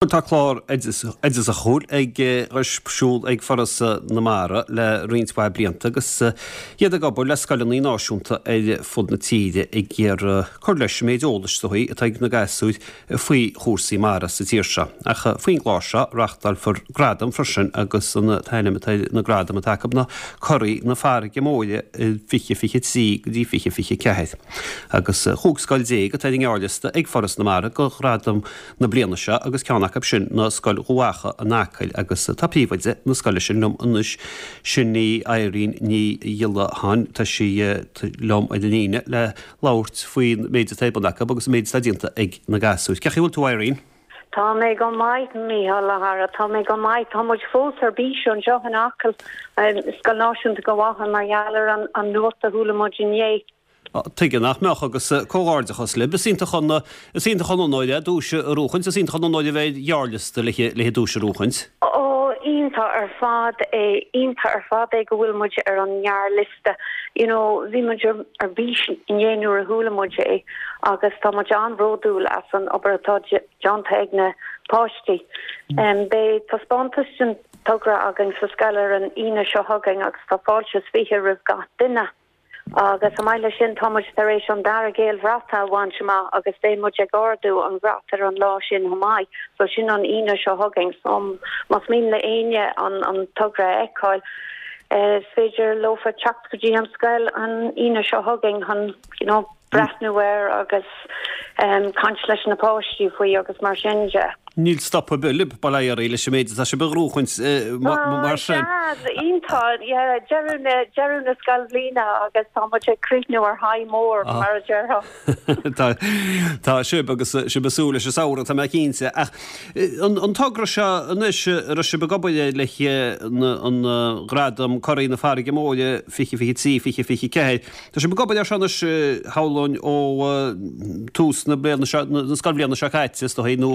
Tá clár oideachasúil ar siúl ag Foras na Mara le roinnt mhaith blianta agus iad ag obair le scoileanna náisiúnta ar fud na tíre ag iarraidh cur leis an méid eolais is dóigh atá ag na gasúir faoi chúrsaí mara sa tír seo. Ach faoin gclár seo reáchtálfar gradaim freisin agus an t-ainm atá ar na gradaim atá acu ná Curaidh na Farraige Móire 2023 go dtí 2024. Agus 15 scoil atá ar an ngearrliosta ag Foras na Mara do ghradam na bliana seo agus ceann acu sin ná Scoil Dhubh Acha in Acaill agus tá príomhoide na scoile sin liom anois, sin í Irene Ní Ghiollacháin. Tá sí liom ar an líne le labhairt faoin méid atá ar bun acu agus an méid atá déanta ag na gasúir. Cén chaoi a bhfuil tú Irene? Tá mé go maith, Mícheál, a chara, tá mé go maith. Tá muid fós ar bís anseo in Acaill, Scoil Náisiúnta Dhubh Acha, mar gheall ar an nuacht a chuala muid inné. Tuige nach mbeadh, agus comhghairdeachas libh. Is iontach an, is iontach an onóir é duais a bhuachaint, is iontach an onóir a bheith ar ghearrliosta le le duais a bhuachaint. Ó, iontach ar fad é, iontach ar fad é go bhfuil muid ar an ngearrliosta. You know, bhí muid ar ar bís inné nuair a chuala muid é agus tá muid an-bhródúil as an obair atá déanta ag na páistí. Beidh taispeántas den togra againn sa scoil ar an Aoine seo chugainn agus tá fáilte is 20 roimh gach duine. Agus chomh maith leis sin, tá muid tar éis an dara Gaelbhrat a bhaint amach agus beidh muid ag ardú an bhrat ar an lá sin chomh maith. So sin an Aoine seo chugainn. So más mian le éinne an togra a fheiceáil, is féidir leofa teacht go dtí an scoil an Aoine seo chugainn chun, you know, breathnú air agus caint leis na páistí faoi agus mar sin de. Níl stop ar bith libh, bail ó Dhia oraibh, leis an méid atá sibh a ghnóchaint mar sin. Sea, iontach, yeah, deireadh na, deireadh na scoilbhliana agus tá muid ag críochnú ar high mór, mar a déarfá. Tá, tá sibh agus sibh ag súil leis an samhradh, tá mé cinnte. Ach an, an togra seo anois, a raibh sibh ag obair air le an Gradam Curaidh na Farraige Móire 2023, 2024, Tá sibh ag obair air seo anois, shamhlóinn, ó tús na bliana seo, na scoilbhliana seo caite, is dóigh, nó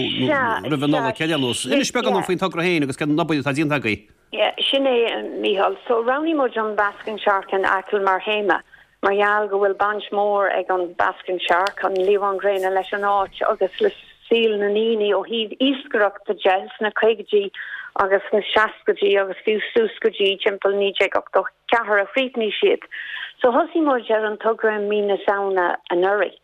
roimh an Nollaig, ar aon nós. Inis beagán dom faoin togra féin agus cén obair atá déanta agaibh. Sin é, Mícheál. So, roghnaigh muid an Basking Shark in Acaill mar théama, mar gheall go bhfuil baint mhór ag an Basking Shark, an liamhán gréine, leis an áit agus le saol na ndaoine ó thaobh iascaireachta de sna caogaidí agus sna seascaidí agus fiú suas go dtí timpeall 1980. 4 a chríochnaigh siad. So thosaigh muid ar an togra i mí na Samhna anuraidh.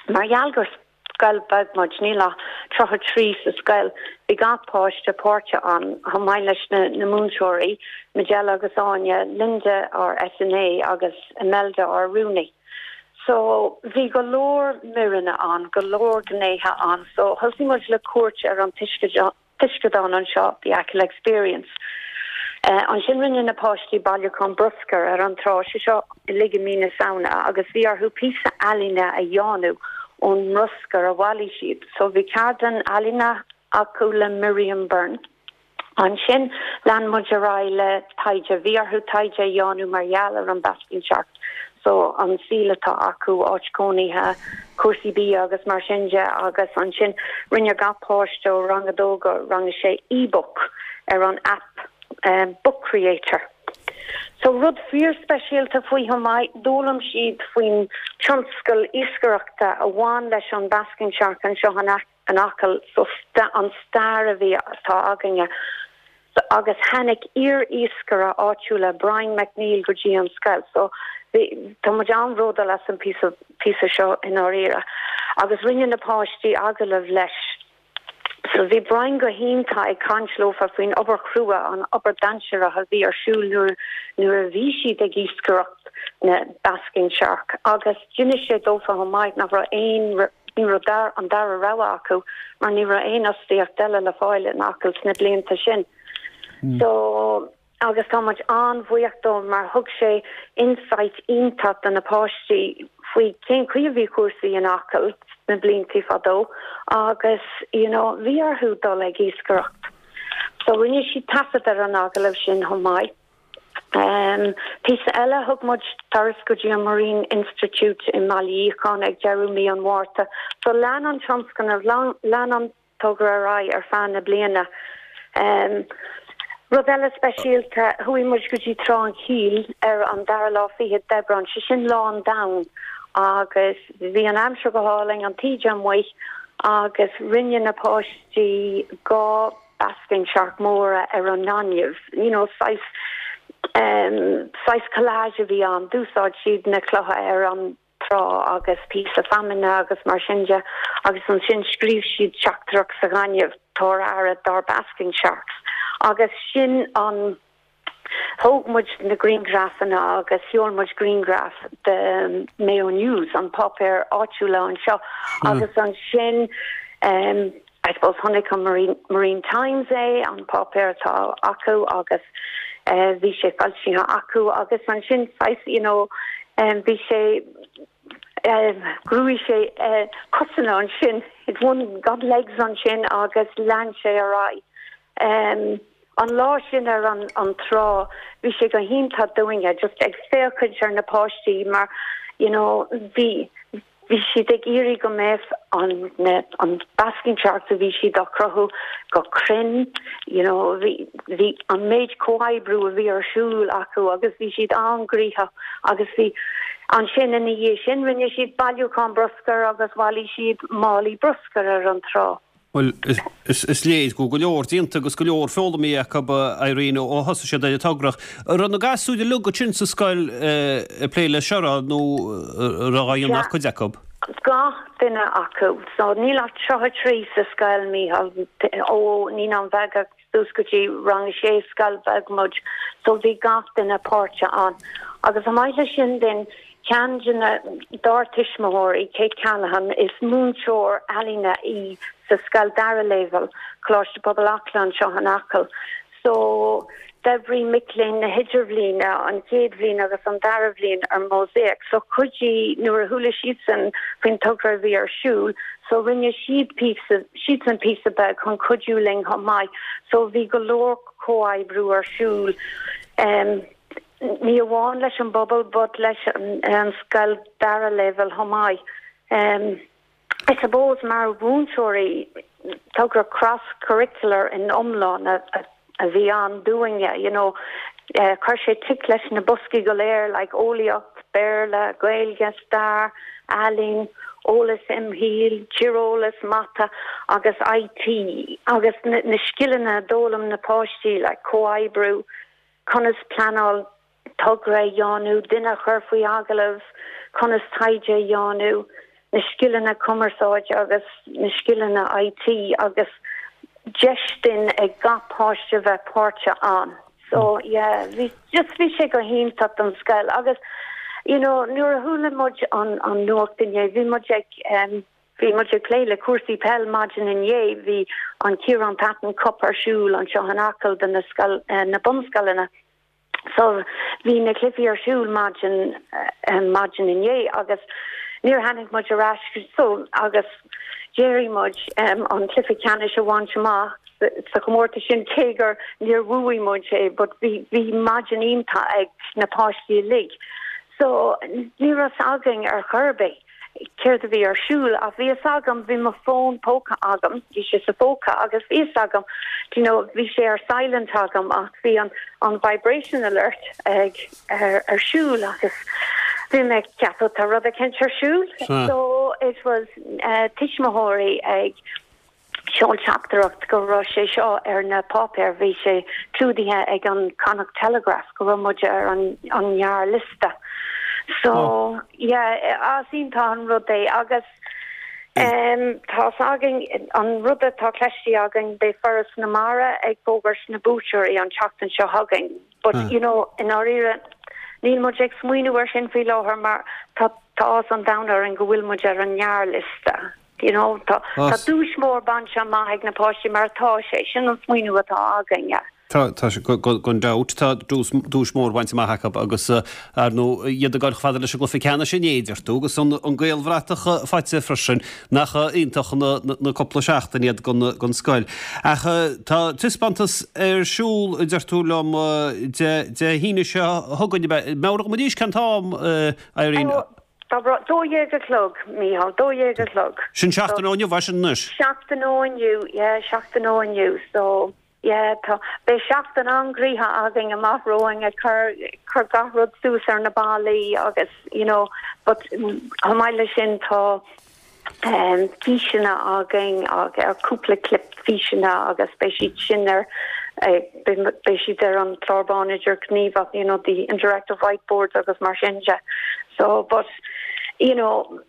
Mar gheall gur scoil beag muid, níl ach 33 sa scoil, bhí gach páiste páirteach ann, chomh maith leis na na múinteoirí, Majella agus Áine, Linda ár SNA agus Imelda ár rúnaí. So bhí go leor míreanna ann, go leor gnéithe ann. So thosaigh muid le cuairt ar an taisceadán anseo, The Achill Experience. Ansin rinne na páistí bailiúchán bruscair ar an trá, sé seo uilig i mí na Samhna, agus bhí orthu píosa ealaíne a dhéanamh ón mbruscar a bhailigh siad. So bhí ceardlann ealaíne acu le Miriam Byrne. Ansin lean muid ar aghaidh le taighde. Bhí orthu taighde a dhéanamh mar gheall ar an Basking Shark. So an saol atá acu, áit cónaithe, cúrsaí bia agus mar sin de agus ansin rinne gach páiste ó rang a dó go rang a sé e-book ar an app Book Creator. So rud fíor-speisialta faoi chomh maith, d'fhoghlaim siad faoin tionscal iascaireachta a bhain leis an Basking Shark anseo in in Acaill, so an stair a bhí, atá againne. Agus tháinig iar-iascaire áitiúla, Brian McNeill, go dtí an scoil. So bhí, tá muid an-bhródúil as an píosa, píosa seo i ndáiríre. Agus rinne na páistí agallamh leis. So bhí Brian go hiontach ag caint leofa faoin obair chrua, an obair dainséarach a bhí ar siúl nuair, nuair a bhí siad ag iascaireacht na Basking Shark. Agus d'inis sé dófa chomh maith nach raibh aon, Ní raibh an dara rogha acu mar ní raibh aon fhostaíocht eile le fáil in Acaill sna blianta sin. So, agus tá muid an-bhuíoch dó mar thug sé insight iontach do na páistí faoi cén chaoi a bhí cúrsaí in Acaill sna blianta fadó agus, you know, bhí orthu dul ag iascaireacht. So rinne siad taifead ar an agallamh sin chomh maith. Píosa eile, thug muid turas go dtí an Marine Institute i mBaile Fhiacháin ag deireadh mí an Mhárta. So lean an tionscnamh, lean an togra ar aghaidh ar feadh na bliana. Rud eile speisialta, chuaigh muid go dtí Trá an Chill ar an dara lá fichead d'Aibreán, sé sin Lá an Domhain, agus bhí an aimsir go hálainn, an taoide amuigh. Agus rinne na páistí 2 basking shark móra ar an ngaineamh, you know saghas em saghas collage a bhí ann, d'úsáid siad na clocha ar an trá agus píosa feamainne agus mar sin de agus ansin scríobh siad teachtaireacht sa ghaineamh, tabhair aire dár basking sharks agus sin an Thóg muid na grianghrafanna agus sheol muid grianghraf do Mayo News, an páipéar áitiúla anseo, agus ansin I suppose chonaic an Marine Times é, an páipéar atá acu agus bhí sé foilsithe acu agus ansin saghas you know bhí sé ghnóthaigh sé cosanna ansin, it won got legs ansin agus lean sé ar aghaidh. An lá sin ar an an trá bhí sé go hiontach dúinne just ag féachaint ar na páistí mar you know bhí bhí siad ag iarraidh go mbeadh an na an basking sharks a bhí siad á cruthú go cruinn you know bhí bhí an méid comhoibriú a bhí ar siúl acu agus bhí siad an-ghnoitheach agus bhí ansin ina dhiaidh sin rinne siad bailiúchán bruscair agus bhailigh siad málaí bruscair ar an trá. Bhuel, is léir go bhfuil go leor déanta agus go leor foghlamtha acu, Irene, ó thosaigh siad ar an togra. An raibh na gasúir uilig ansin sa scoil ag plé leis seo, nó an raibh á dhéanamh ach cuid acu? Gach duine acu. So níl ach 33 sa scoil, Mícheál, ó Naíonáin Bheaga suas go dtí rang a sé, scoil bheag muid, so bhí gach duine páirteach ann. Agus chomh maith leis sin then, ceann de na, dár tuismitheoirí, Kate Callaghan, is múinteoir ealaíne í sa scoil dara léibhéal, Coláiste Pobail Acla anseo in Acaill. So, d'oibrigh mic léinn na hidirbhliana, an chéad bhliain agus an dara bhliain ar mosaic. So chuidigh, nuair a chuala siadsan faoin togra a bhí ar siúl, so rinne siad píosa, siadsan píosa beag chun cuidiú linn chomh maith. So bhí go leor comhoibriú ar siúl, em, ní amháin leis an bpobal but leis an scoil dara leibhéal chomh maith. Em. I suppose mar mhúinteoirí, togra cross-curricular in iomlán a bhí ann dúinne, you know, chuir sé tic leis na boscaí go léir like eolaíocht, Béarla, Gaeilge, stair, ealaín, eolas imshaoil, tíreolas, mata agus IT agus na scileanna a d'fhoghlaim na páistí like comhoibriú, conas pleanáil togra a dhéanamh, duine a chur faoi agallamh, conas taighde a dhéanamh, na scileanna cumarsáide agus na scileanna IT agus deis duinn ag gach páiste bheith páirteach ann. So yeah, bhí, just bhí sé go hiontach don scoil agus you know nuair a chuala muid an, an nuacht inné, bhí muid ag um, bhí muid ag plé le cúrsaí peil maidin inné, bhí an Ciarán Patton Cup ar siúl anseo in Acaill do na scoil, eh, na bunscoileanna. So bhí na cluichí ar siúl maidin maidin inné agus níor tháinig muid ar ais so agus d'éirigh muid an cluiche ceannais a bhaint amach sa chomórtas sin cé gur níor bhuaigh muid é but bhí bhí maidin iontach ag na páistí uilig. So ní raibh fhios againn ar chor ar bith. céard a bhí ar siúl ach bhí fhios agam, bhí mo fón póca agam, bhí sé sa phóca agus bhí fhios agam, do you know, bhí sé ar silent agam ach bhí an an vibration alert ag ar ar siúl agus bhí mé ag ceapadh tá rud eicínt ar siúl. So it was eh tuismitheoirí ag Sheol teachtaireacht go raibh sé seo ar na páipéir, bhí sé clúdaithe ag an Connacht Telegraph go raibh muid ar an ngearrliosta. So, yeah, is iontach an rud é agus em tá's againn, an rud atá cloiste againn, beidh Foras na Mara ag fógairt na buaiteoirí an tseachtain seo chugainn. But, you know, i ndáiríre, níl muid ag smaoineamh ar sin faoi láthair mar tá tá áthas an domhain orainn go bhfuil muid ar an ngearrliosta. You know, tá tá duais mhór bainte amach ag na páistí mar atá sé, sin an smaoineamh atá againn. Tá, tá sé, gan dabht, tá duais, duais mhór bainte amach acu agus, ar ndóigh, iad ag dul chomh fada leis an gcluiche ceannais inné, deir tú, agus an, an Gaelbhratach faighte freisin, nach iontach na, na cúpla seachtain iad gon, gon scoil. Ach tá taispeántas ar siúl, a deir tú liom, Dé, Dé hAoine seo chugainn, ab ea? Meabhraigh dom arís cén t-am, Irene? Tá 12 a chlog, Mícheál, 12 a chlog. Sin seachtain ó inniu, é sin anois? Seachtain ó inniu, yeah, seachtain ó inniu. So, yeah, tá, beidh seachtain an-ghnoitheach againn amach romhainn ag cur, cur gach rud suas ar na ballaí agus, you know, but chomh maith leis sin tá. Físeanna againn agus cúpla clip físeanna agus beidh siad sin ar beidh siad ar an chlár bán idirghníomhach, you know, the interactive whiteboards agus mar sin de. So, but, you know,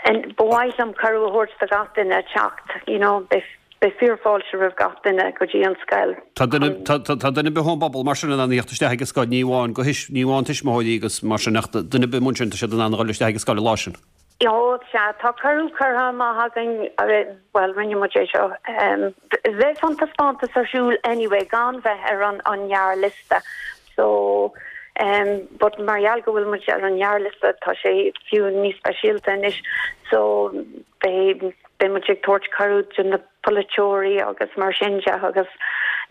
and ba mhaith liom cuireadh a thabhairt do gach duine teacht, you know, beidh beidh fíorfháilte roimh gach duine go dtí an scoil. Tá duine tá tá duine ar bith ón bpobal mar sin in ann a theacht isteach ag an scoil, ní amháin go thuis ní amháin tuismitheoirí agus mar sin ach duine ar bith amuigh ansin tá siad in ann a dhul isteach ag an scoil an lá sin. Ó, sea, tá cuireadh curtha amach againn, bhuel, rinne muid é seo, bheadh an taispeántas ar siúl anyway gan bheith ar an an ngearrliosta so but mar gheall go bhfuil muid ar an ngearrliosta tá sé fiú níos speisialta anois so beidh beidh muid ag tabhairt cuireadh do na polaiteoirí agus mar sin de agus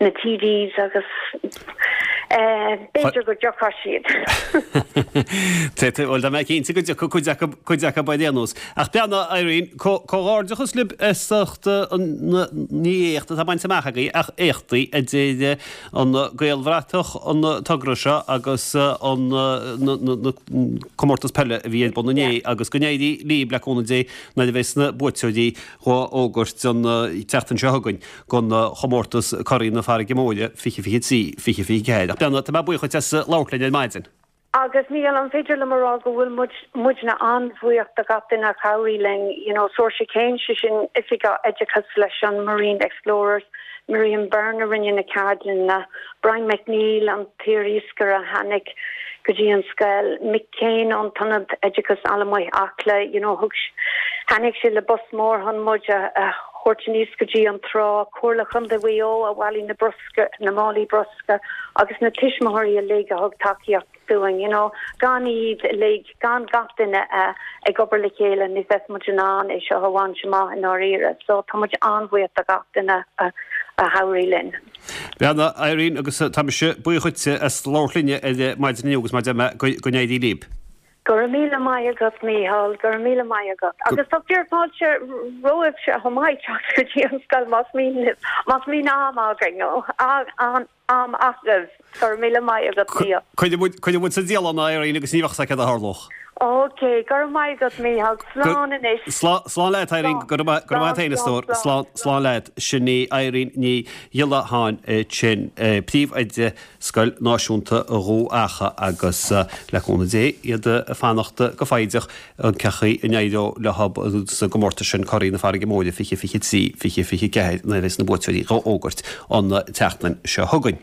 na TDs agus b'fhéidir go dtiocfaidh siad. Bhuel, tá mé cinnte go dtiocfaidh cuid acu, cuid acu ar aon nós. Ach beannacht, Irene, comhghairdeachas libh as ucht ní éacht atá bainte amach agaibh ach éachtaí a deir an Gaelbhratach, an togra seo agus an comórtas peile a bhí ar bun inné agus go n-éirí libh le cúnamh Dé nuair a bheas na buaiteoirí dhá bhfógairt an tseachtain seo chugainn don chomórtas Curaí na Farraige Móire 2023, 2024. Ach beannacht, tá mé buíoch dhuit as labhairt linn ar maidin. Agus Mícheál, an féidir liom a rá go bhfuil muid, muidne an-bhuíoch de gach duine a chabhraigh linn, you know, Saoirse Kane, sé sin Oifigeach Oideachais leis an Marine Explorers, Miriam Byrne a rinne na ceardlanna, Brian McNeill, an t-iar-iascaire a tháinig go dtí an scoil, Mick Kane ón tIonad Oideachais Allamuigh Acla, you know, thug, tháinig sé le bus mór chun muid a thabhairt aníos go dtí an trá, Comhairle Chontae Mhaigh Eo a bhailigh na bruscar, na málaí bruscair agus na tuismitheoirí uilig a thug tacaíocht dúinn, you know, gan iad uilig, gan gach duine ag obair le chéile ní bheadh muid in ann é seo a bhaint amach i ndáiríre. So tá muid an-bhuíoch de gach duine a chabhraigh linn. Beannacht, Irene, agus tá mise buíoch dhuitse as labhairt linne ar maidin inniu agus mar a deir mé, go n-éirí libh. Go raibh míle maith agat, Mícheál, go raibh míle maith agat. Agus tá fíorfháilte romhaibhse chomh maith teacht go dtí an scoil más mian libh, más mbíonn am againn, an am agaibh. Go raibh míle maith agat, Mícheál. Cuirfidh muid, cuirfidh muid sa dialann é, Irene, agus ní bheadh a fhios agat céard a tharlódh. Ok, go raibh maith agat, Mícheál. Slán anois. Slán, slán leat, Irene. Go raibh maith, go raibh maith agat féin, a stór. Slán, slán leat. Sin í Irene Ní Ghiolla ansin, Príomhoide Scoil Náisiúnta Dhubh Eacha agus, le cúnamh Dé, iad ag fanacht go foighdeach an cén chaoi a n-éireoidh leo sa gcomórtas sin Curaí na Farraige Móire 2023, 2024 nuair a bheas na buaiteoirí dhá bhfógairt an tseachtain seo chugainn.